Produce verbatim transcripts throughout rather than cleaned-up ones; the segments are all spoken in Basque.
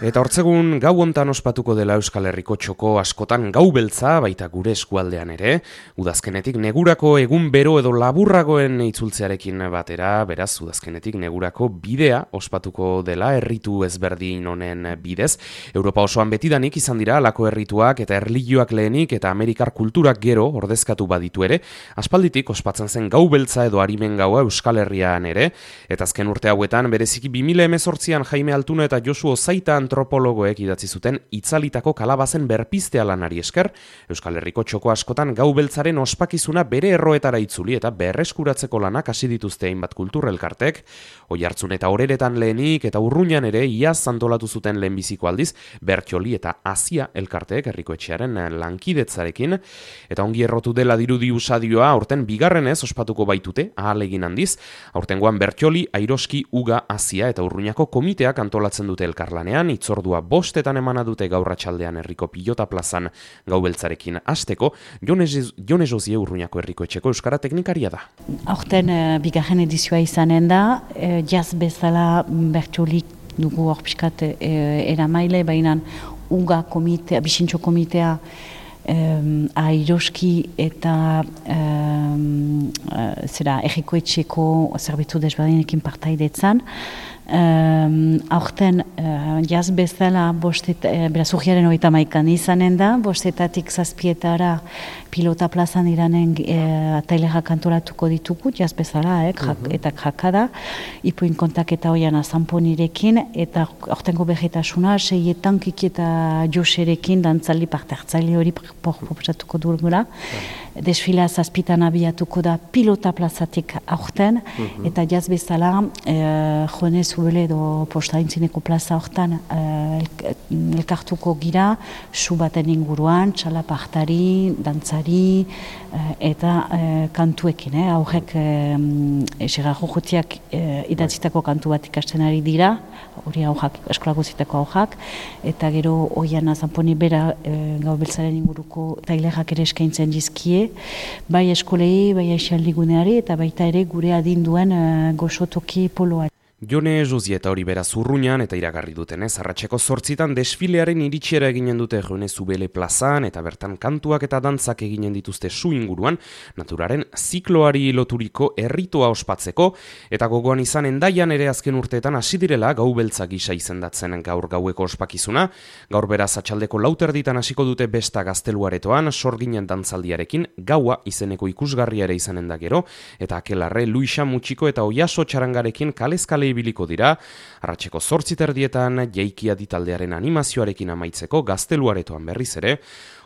Eta hortzegun gau hontan ospatuko dela Euskal Herriko txoko askotan gau beltza, baita gure eskualdean ere, udazkenetik negurako egun bero edo laburragoen itzultzearekin batera, beraz, udazkenetik negurako bidea ospatuko dela erritu ezberdin honen bidez. Europa osoan betidanik izan dira alako errituak eta erlijioak lehenik eta Amerikar kulturak gero ordezkatu baditu ere, aspalditik ospatzen zen gau beltza edo arimen gaua Euskal Herrian ere, eta azken urte hauetan bereziki bi mila hemezortzian Jaime Altuna eta Josu Ozaita antropologoek idatzi zuten itzalitako kalabazen berpiztea lanari esker, Euskal Herriko txoko askotan gau beltzaren ospakizuna bere erroetara itzuli eta berreskuratzeko lanak hasi dituzte hainbat kulturrelkartek, Oiartzun eta Oreretan lehenik eta Urruñan ere iaz antolatu zuten lehenbiziko aldiz Bertxoli eta Azia elkarteek herriko etxearen lankidetzarekin, eta ongi errotu dela dirudi usadioa aurten bigarrenez ospatuko baitute, ahalegin handiz, aurtengoan Bertxoli, Airoski, Uga, Azia eta Urruñako komiteak antolatzen dute elkarlanean, itzordua bostetan emana dute gaur arratsaldean herriko pilota plazan gau beltzarekin hasteko. Jone Josie Urruñako herriko etxeko euskara teknikaria da. Aurten uh, bigarren edizioa izanen da, uh, jaz bezala Bertxolik dugu hor pixkat uh, eramaile, baina Uga komitea, Bixintxo komitea, Um, Airoski eta um, uh, zera erriko etxeko zerbitzu desberdinekin partaidetzan. Um, aurten uh, jaz bezala bostet, uh, beraz urriaren hogeita hamaikan izanen da, bostetatik zazpietara pilota plazan iranen uh, atailerak antolatuko ditugu, jaz bezala, eh, jak, uh-huh. eta jakada, ipuin kontaketa hoian azanponirekin, eta aurtengo berretasuna, seietan Kiki eta Joserekin dantzaldi parte hartzaile hori proposatuko dugula. Uh-huh. Desfila zazpitan abiatuko da pilota plazatik aurten, uh-huh. eta jaz bezala uh, joanez Zubele edo postaintzineko plaza hortan uh, elkartuko gira, su baten inguruan, txalapartari, dantzari uh, eta uh, kantuekin. Eh? Aurrek um, eserrajo jotiak uh, idatzitako kantu bat ikasten ari dira, hori aurrak, eskolako zitako aurrak, eta gero oian azanponi bera uh, gau beltzaren inguruko tailerak ere eskaintzen dizkie, bai eskolei, bai aixaldiguneari, eta baita ere gure adinduen uh, goxotoki poloari. Jone Josie eta hori beraz Urruñan eta iragarri dutenez, arratseko zortzitan desfilearen iritsiera eginen dute Jone Zubele plazan eta bertan kantuak eta dantzak eginen dituzte su inguruan, naturaren zikloari loturiko erritoa ospatzeko, eta gogoan izan Endaian ere azken urteetan hasi direla gau beltza gisa izendatzen gaur gaueko ospakizuna, gaur beraz atxaldeko lauterditan hasiko dute besta gazteluaretoan, sorginen dantzaldiarekin, gaua izeneko ikusgarria ere izanen da gero, eta Akelarre, Luisa Mutxiko eta Oiaso txarangarekin kalezkale ibiliko dira, arratseko zortziterdietan Jeikia ditaldearen animazioarekin amaitzeko gazteluaretoan berriz ere,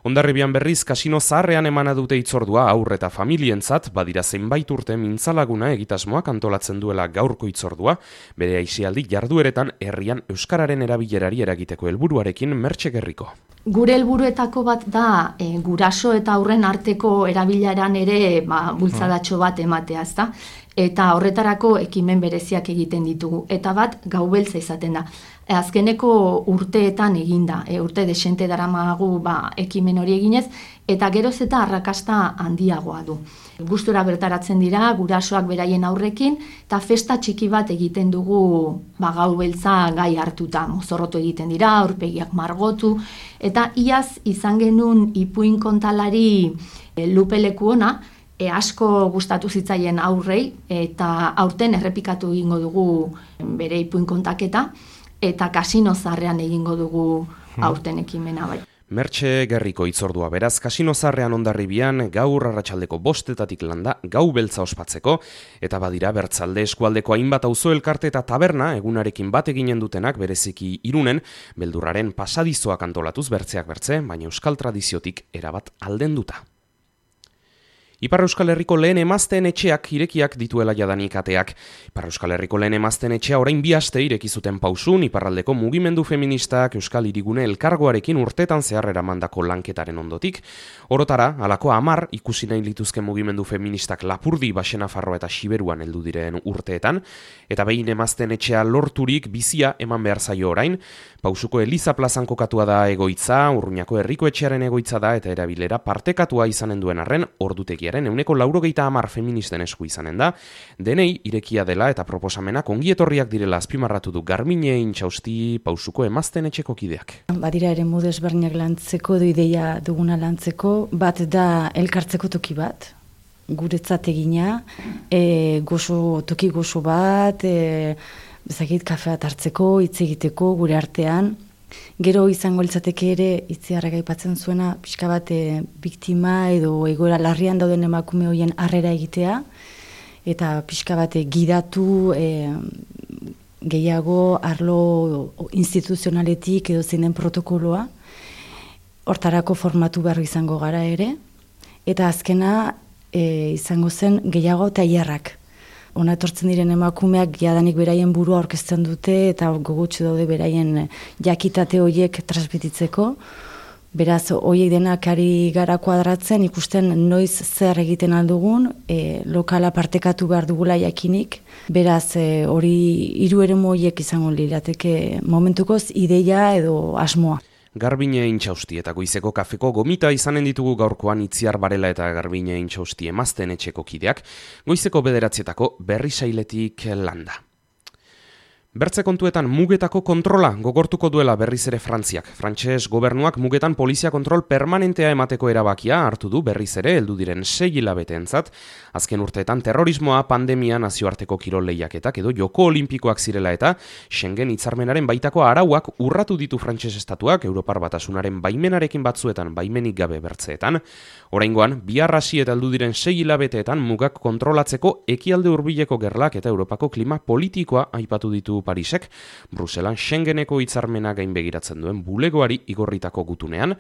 Hondarribian berriz kasino zaharrean emana dute itzordua aur eta familientzat, badira zenbait urte mintzalaguna egitasmoak antolatzen duela gaurko itzordua, bere aisialdi jardueretan herrian euskararen erabilerari eragiteko helburuarekin Mertxe Gerriko. Gure helburuetako bat da e, guraso eta aurren arteko erabileran ere ba, bultzadatxo bat ematea, ezta? Eta horretarako ekimen bereziak egiten ditugu. Eta bat gau beltza izaten da. E, azkeneko urteetan eginda, e, urte desente daramagu ba, ekimen hori eginez, eta geroz eta arrakasta handiagoa du. Gustura bertaratzen dira, gurasoak beraien aurrekin, eta festa txiki bat egiten dugu ba, gau beltza gai hartuta. Mozorrotu egiten dira, aurpegiak margotu, eta iaz izan genuen ipuin kontalari e, lupeleku ona, E, asko gustatu zitzaien aurrei, eta aurten errepikatu egingo dugu bere ipuin kontaketa, eta kasino zaharrean egingo dugu aurten ekimena bai. Mertxe Gerriko itzordua beraz, kasino zaharrean Hondarribian gaur arratsaldeko bostetatik landa gau beltza ospatzeko, eta badira Bertzalde eskualdeko hainbat auzo elkarte eta taberna egunarekin bat eginen dutenak bereziki Irunen, beldurraren pasadizoak antolatuz bertzeak bertze, baina euskal tradiziotik erabat aldenduta. Ipar Euskal Herriko lehen emazteen etxeak irekiak dituela jadanik ateak. Ipar Euskal Herriko lehen emazteen etxea orain bi aste ireki zuten pausun, iparraldeko mugimendu feministak Euskal Hirigune elkargoarekin urtetan zehar eramandako lanketaren ondotik. Orotara, halako hamar ikusi nahi lituzke mugimendu feministak Lapurdi, Baxenafarroa eta Xiberuan heldu diren urteetan, eta behin emazteen etxea lorturik bizia eman behar zaio orain. Pausuko Eliza plazan kokatua da egoitza, Urruñako herriko etxearen egoitza da eta erabilera partekatua izanen duen arren ordutegiaren langilearen ehuneko laurogeita hamar feministen esku izanen da, denei irekia dela eta proposamenak ongietorriak direla azpimarratu du Garbiñe Intxausti Pausuko emazten etxeko kideak. Badira ere modu ezberdinak lantzeko, du ideia duguna lantzeko, bat da elkartzeko toki bat, guretzat egina, e, gozo, toki gozo bat, e, bezakit kafeat hartzeko, hitz egiteko gure artean. Gero izango litzateke ere itziarrak aipatzen zuena pixka bat e, biktima edo egoera larrian dauden emakume horien harrera egitea eta pixka bat e, gidatu e, gehiago arlo instituzionaletik edo zeinen protokoloa. Hortarako formatu behar izango gara ere eta azkena e, izango zen gehiago tailerrak. Ona etortzen diren emakumeak jadanik beraien burua aurkezten dute eta gogotsu daude beraien jakitate horiek transmititzeko. Beraz, horiek denak ari gara kuadratzen, ikusten noiz zer egiten aldugun, e, lokala partekatu behar dugula jakinik. Beraz, e, hori hiru eremu horiek izango lirateke momentukoz ideia edo asmoa. Garbiñe Intxausti eta Goizeko kafeko gomita izanen ditugu gaurkoan Itziar Barela eta Garbiñe Intxausti emazten etxeko kideak, Goizeko bederatzietako berrisailetik landa. Bertze kontuetan mugetako kontrola gogortuko duela berriz ere Frantziak. Frantses gobernuak mugetan polizia kontrol permanentea emateko erabakia hartu du berriz ere heldu diren sei hilabeteentzat. Azken urteetan terrorismoa, pandemia, nazioarteko kirol lehiaketak edo joko olimpikoak zirela eta Schengen hitzarmenaren baitako arauak urratu ditu Frantses estatuak Europar Batasunaren baimenarekin batzuetan baimenik gabe bertzeetan. Oraingoan, bihar hasi eta heldu diren sei hilabeteetan mugak kontrolatzeko ekialde hurbileko gerlak eta Europako klima politikoa aipatu ditu Parisek, Bruselan Schengeneko hitzarmena gain begiratzen duen bulegoari igorritako gutunean.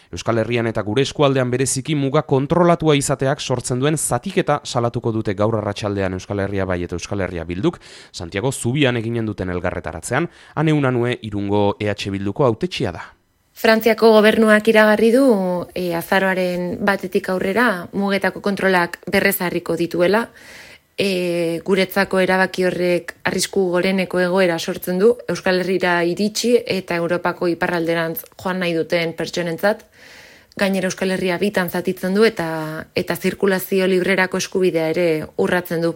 Euskal Herrian eta gure eskualdean bereziki muga kontrolatua izateak sortzen duen zatiketa salatuko dute gaur arratsaldean Euskal Herria Bai eta Euskal Herria Bilduk, Santiago Zubian eginen duten elgarretaratzean, Ane Unanue Irungo E H Bilduko hautetsia da. Frantziako gobernuak iragarri du e, azaroaren batetik aurrera mugetako kontrolak berrezarriko dituela. E, guretzako erabaki horrek arrisku goreneko egoera sortzen du Euskal Herrira iritsi eta Europako iparralderantz joan nahi duten pertsonentzat. Gainera Euskal Herria bitan zatitzen du eta eta zirkulazio librerako eskubidea ere urratzen du.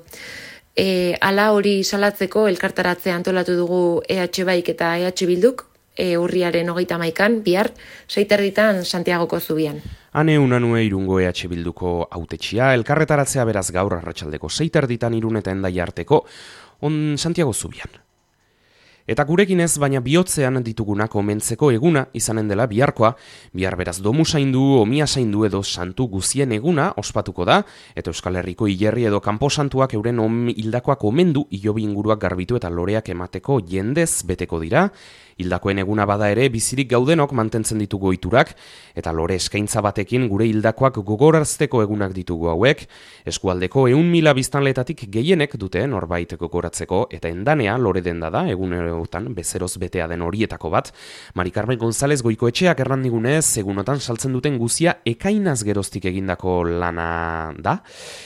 E, hala hori salatzeko elkartaratzea antolatu dugu E H Baik eta E H Bilduk, e, urriaren hogeita hamaikan, bihar, seiterditan Santiagoko Zubian. Ane Unanue Irungo E H Bilduko hautetsia, elkarretaratzea beraz gaur arratsaldeko seiterditan Irun eta Hendaia arteko on Santiago Zubian. Eta gurekin ez, baina bihotzean ditugunak omentzeko eguna izanen dela biharkoa, bihar beraz domu zaindu, omia zaindu edo santu guzien eguna ospatuko da, eta Euskal Herriko hilerri edo kanposantuak euren om hildakoak omendu hilobi inguruak garbitu eta loreak emateko jendez beteko dira. Hildakoen eguna bada ere bizirik gaudenok mantentzen ditugu ohiturak eta lore eskaintza batekin gure hildakoak gogorazteko egunak ditugu hauek. Eskualdeko ehun mila biztanletatik gehienek dute norbait gogoratzeko eta Endanea lore denda da egunerotan bezeroz betea den horietako bat. Mari Carmen González Goikoetxeak errandigunez egunotan saltzen duten guzia ekainaz geroztik egindako lana da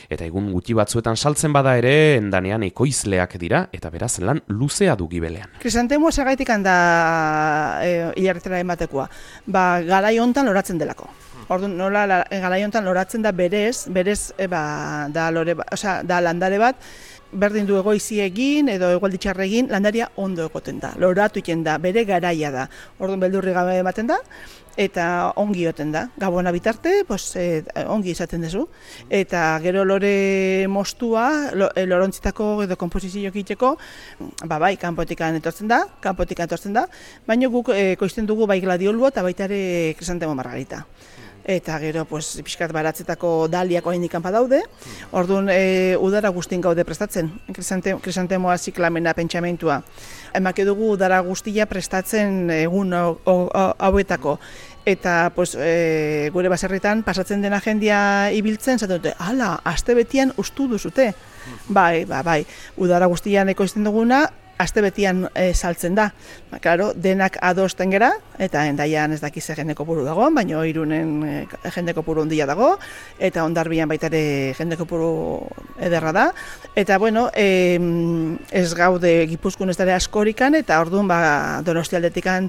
eta egun gutxi batzuetan saltzen bada ere Endanean ekoizleak dira eta beraz lan luzea du gibelean. Krisantemua zergaitik handa E, hilarretera ematekoa, ba, garai hontan loratzen delako. Orduan, nola la, garai hontan loratzen da berez, berez e, ba, da, lore, osea, da landare bat, berdin du egoizi egin edo egualdi txarra egin, landaria ondo egoten da, loratu egiten da, bere garaia da. Orduan beldurri gabe ematen da, eta ongi joten da. Gabona bitarte, pues, e, ongi izaten duzu. Eta gero lore mostua, lo, e, lorontzitako edo komposizio egiteko, ba, bai, kanpotikan etortzen da, kanpotikan etortzen da, baina guk e, koizten dugu bai gladiolua eta baita ere krisantemo margarita. Eta gero, pues, pixkat baratzetako daliak oraindik kanpa daude. Orduan, e, udara guztien gaude prestatzen, krisante, krisantemoa ziklamena pentsamentua. Emake dugu udara guztia prestatzen egun hauetako. Eta pues, e, gure baserritan pasatzen dena jendia ibiltzen, zaten dute, hala, aste betian ustu duzute. Bai, ba, bai, udara guztian ekoizten duguna, aste betian e, saltzen da. Ba, claro, denak adosten gera, eta Hendaian ez dakiz jende kopuru dago, baina Irunen e, jende kopuru handia dago, eta Hondarbian baita ere jende kopuru ederra da. Eta bueno, e, ez gaude Gipuzkoan ez dara askorikan, eta orduan ba, Donostialdetikan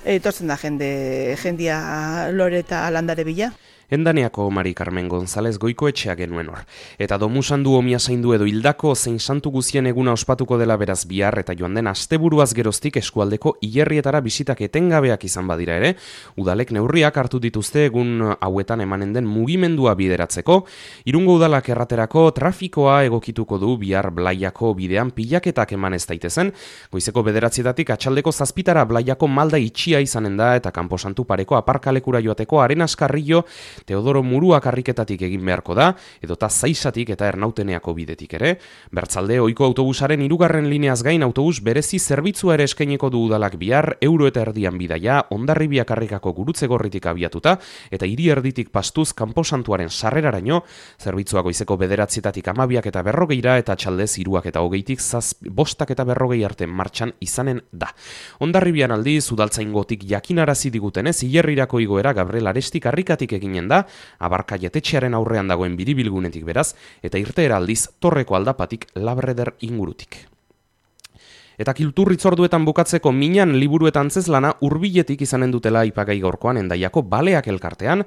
etortzen da jende, jendia lore eta landare bila. Endaneako Mari Carmen González Goikoetxea genuen hor. Eta domusandu omia zaindu edo hildako zein santu guzien eguna ospatuko dela beraz bihar eta joan den asteburuaz geroztik eskualdeko hilerrietara bisitak etengabeak izan badira ere, udalek neurriak hartu dituzte egun hauetan emanen den mugimendua bideratzeko. Irungo udalak erraterako trafikoa egokituko du bihar Blaiako bidean pilaketak eman ez daitezen. Goizeko bederatzietatik atxaldeko zazpitara Blaiako malda itxia izanen da eta kanposantu pareko aparkalekura joateko Arenas Carrillo Teodoro Murua karriketatik egin beharko da, edota Zaisatik eta Ernauteneako bidetik ere. Bertzalde, ohiko autobusaren hirugarren lineaz gain autobus berezi zerbitzua ere eskainiko du udalak bihar, euro eta erdian bidaia, Hondarribia karrikako gurutze gorritik abiatuta, eta hiri erditik pastuz kanposantuaren sarreraraino, zerbitzua goizeko bederatzietatik amabiak eta berrogeira, eta txaldez hiruak eta hogeitik zaz, bostak eta berrogei arte martxan izanen da. Hondarribian aldiz, udaltzaingotik jakinarazi digutenez, hilerrirako igoera Gabriel Aresti karrikatik eginen da, Abarka jatetxearen aurrean dagoen biribilgunetik beraz, eta irteera aldiz Torreko aldapatik Labreder ingurutik. Eta kulturritzorduetan bukatzeko minan liburu eta antzezlana hurbiletik izanen dutela aipagai gaurkoan Hendaiako Baleak elkartean.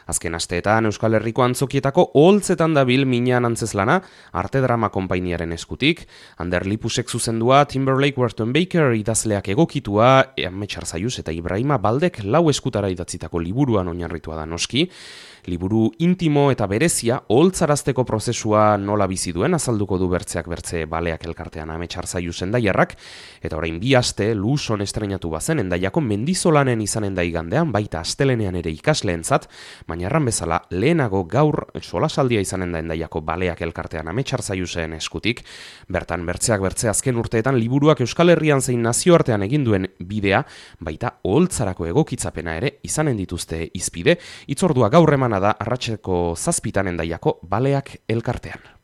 Azken asteetan Euskal Herriko antzokietako oholtzetan dabil minan antzezlana Arte Drama konpainiaren eskutik. Ander Lipusek zuzendua, Timberlake Wharton Baker idazleak egokitua, Amets Arzaius eta Ibrahima Baldek lau eskutara idatzitako liburuan oinarritua da noski. Liburu intimo eta berezia oholtzarazteko prozesua nola bizi duen azalduko du bertzeak bertze Baleak elkartean Amets Arzaius Hendaiarrak, eta orain bi aste Luson estreinatu bazen Hendaiako Mendizolanen izanen da igandean, baita astelenean ere ikasleentzat, baina erran bezala lehenago gaur solasaldia izanen da Hendaiako Baleak elkartean Amets Arzaiusen eskutik. Bertan bertzeak bertze azken urteetan liburuak Euskal Herrian zein nazioartean egin duen bidea, baita oholtzarako egokitzapena ere izanen dituzte hizpide. Hitzordua gaur emana da arratseko zazpitan Hendaiako Baleak elkartean.